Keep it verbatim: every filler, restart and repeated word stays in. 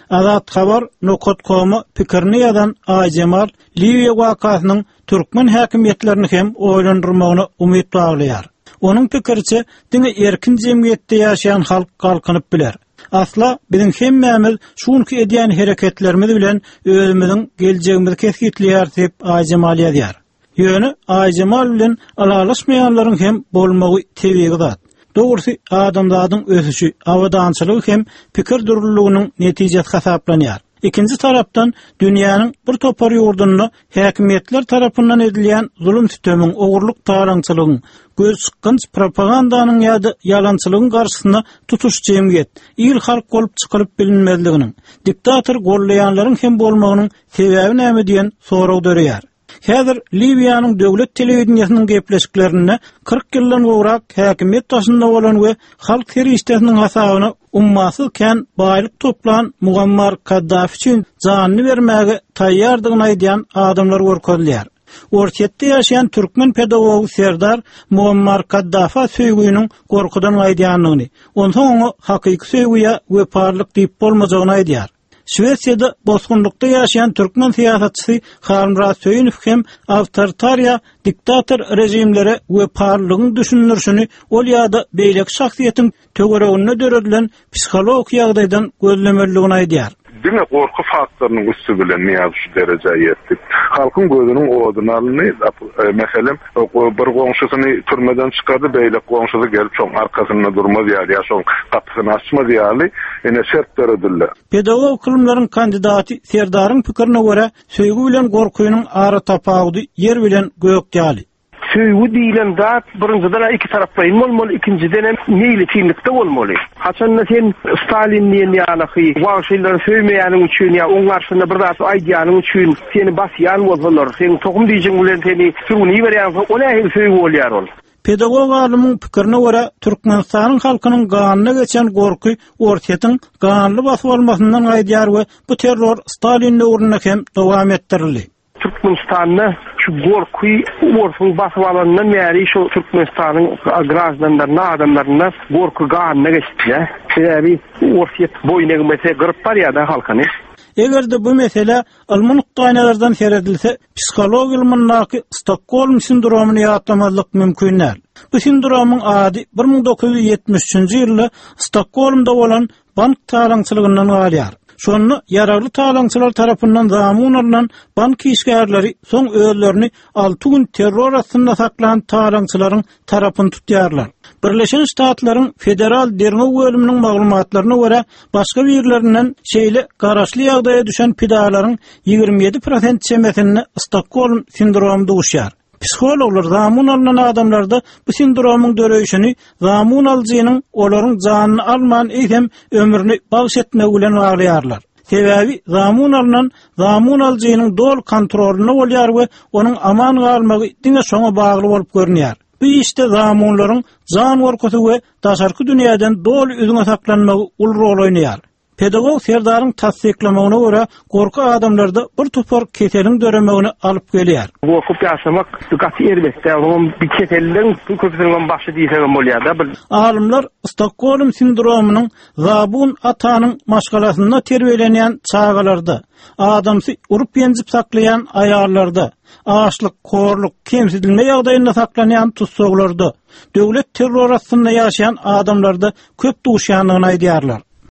Azathabar nokat koma pikirini ýazan Aýjemal Liwiýa wakasynyň türkmen häkimiýetlerini hem oýlandyrmagyna umyt baglaýar. Onuň pikiriçe diňe erkin jemgyýetde ýaşaýan halk galkynyp biler. Asla biziň hemmämiz şunki edýän hereketlerimiz bilen özümiziň geljegimizi kesgitleýär diýip Aýjemal ýazýar. Ýöne Aýjemal bilen alalaşmaýanlaryň hem bolmagy tebigy zat. Dogrusu adamzadyň ösüşi, abadançylygy hem pikir dürlüliginiň netijesi hasaplanýar. Ikinji tarapdan dünýäniň bir topar ýurdunda häkimiýetler tarapyndan edilýän zulum sütemiň, ogurlyk talaňçylygyň, göz çykgynç propagandanyň ýa-da ýalançylygyň garşysynda tutuş jemgyýet, il halk bolup çykylyp bilinmezliginiň, diktator gollaýanlaryň hem bolmagynyň sebäbi näme diýen sorag döreýär. Häzir Liwiýanyň döwlet telewideniýesiniň gepleşiklerinde kyrk ýyldan gowrak häkimiýet daşynda bolan we halk serişdesiniň hasabyna ummasyz kän baýlyk toplan Muammar Kaddafi üçin janyny bermäge taýýardygyny aýdýan adamlar görkezilýär. Orsýetde ýaşaýan türkmen pedagogy Serdar Muammar Kaddafa söýgüniň gorkudan gaýdýandygyny, onsoň oňa hakyky söýgüye wepalyk diýip bolmajagyny aýdýar. Şwesiýada bosgunlykda ýaşaýan türkmen syýasatçysy Halmyrat Söýünow hem awtoritar diktator rejimlere wepalylygyň düşündirişini ol ýa-da beýleki şahsyýetiň töwereginde döredilen psihologik ýagdaýdan gözlemeliligini aýdýar. Diňe gorky faktorynyň üstü bilen niýaz şu derejä ýetdi. Halkyň gözüniň oduny alyndy. Meselem, bir goňşusyny türmeden çykardy, beýleki goňşusy gelip şoň arkasynda durmaz ýaly, ýa şoň gapysyny açmaz ýaly, ine şert döredildi. Pedagog ylymlaryň kandidaty Serdaryň pikirine görä, söýgi bilen gorkynyň ara tapawudy ýer bilen gök ýaly. Söýgi diýilen zat birinjiden iki taraplaýyn bolmaly, ikinjiden hem meýletinlikde bolmaly. Haçanda sen Stalin diýen ýaly wagşylary söýmeýäniň üçin ýa oň garşysynda bir zat aýdýanyň üçin seni basýan bolsalar, seň tohum diýjin bilen seni sürgüni berýän o nähili söýgi bolýar ol? Pedagog alymyň pikirine görä, Türkmenistanyň halkynyň ganyna geçen gorky Orsýetiň ganly basyp almasyndan gaýdýar we bu terror Stalin döwründe hem dowam etdirildi. Türkmenistanda şu gorky Orsuň basyp alandan bäri şu Türkmenistanyň grajdanlaryna, adamlaryna gorky ganyna geçdi. Sebäbi Orsýet boýun egmese gyryp barýar da halkyny. Eger de bu mesele ylmy nukdaýnazardan seredilse, psiholog ylmyndaky Stokgolm sindromyny ýatlamazlyk mümkin däl. Bu sindromyň ady bir müň dokuz ýüz ýetmiş üçünji ýylda Stokgolmda bolan bank talaňçylygyndan galýar. Şonda ýaragly talaňçylar tarapyndan zamun alynan bank işgärleri soň özlerini alty gün terror astynda saklan talaňçylaryň tarapyny tutýarlar. Birleşen Ştatlaryň Federal Derňew bölüminiň maglumatlaryna görä, başga birlerinden şeýle garaşly ýagdaýa düşen pidalaryň ýigrimi ýedi prosent çemesinde Stokgolm sindromy duşýar. Psihologlar zamun alynan adamlarda bu sindromyň döreýşini zamun alyjynyň olaryň janyny alman eýsem ömrüni bagş etmegi bilen baglaýarlar. Sebäbi zamun alynan zamun alyjynyň doly kontrolynda bolýar we onuň aman galmagy diňe şoňa bagly bolup görünýär. Bu işde zamunlaryň jan gorkusy we daşarky dünýäden doly üzňe saklanmagy uly rol oýnaýar. Pedagog Serdaryň tassyklamagyna görä, gorky adamlarda bir topar keseliň döremegini alyp gelýär. Gorkup ýaşamak gaty erbetde, onuň bir keselligiň köpüsiniň başy diýsegem bolýar da. Alymlar Stokgolm sindromynyň zabun atanyň maşgalasynda terbiýelenýän çagalarda, adamsy urup ýenjip saklaýan aýallarda, açlyk, horluk, kemsidilme ýagdaýynda saklanýan tussaglarda, döwlet terror astynda ýaşaýan adamlarda köp duşýandygyny aýdýarlar.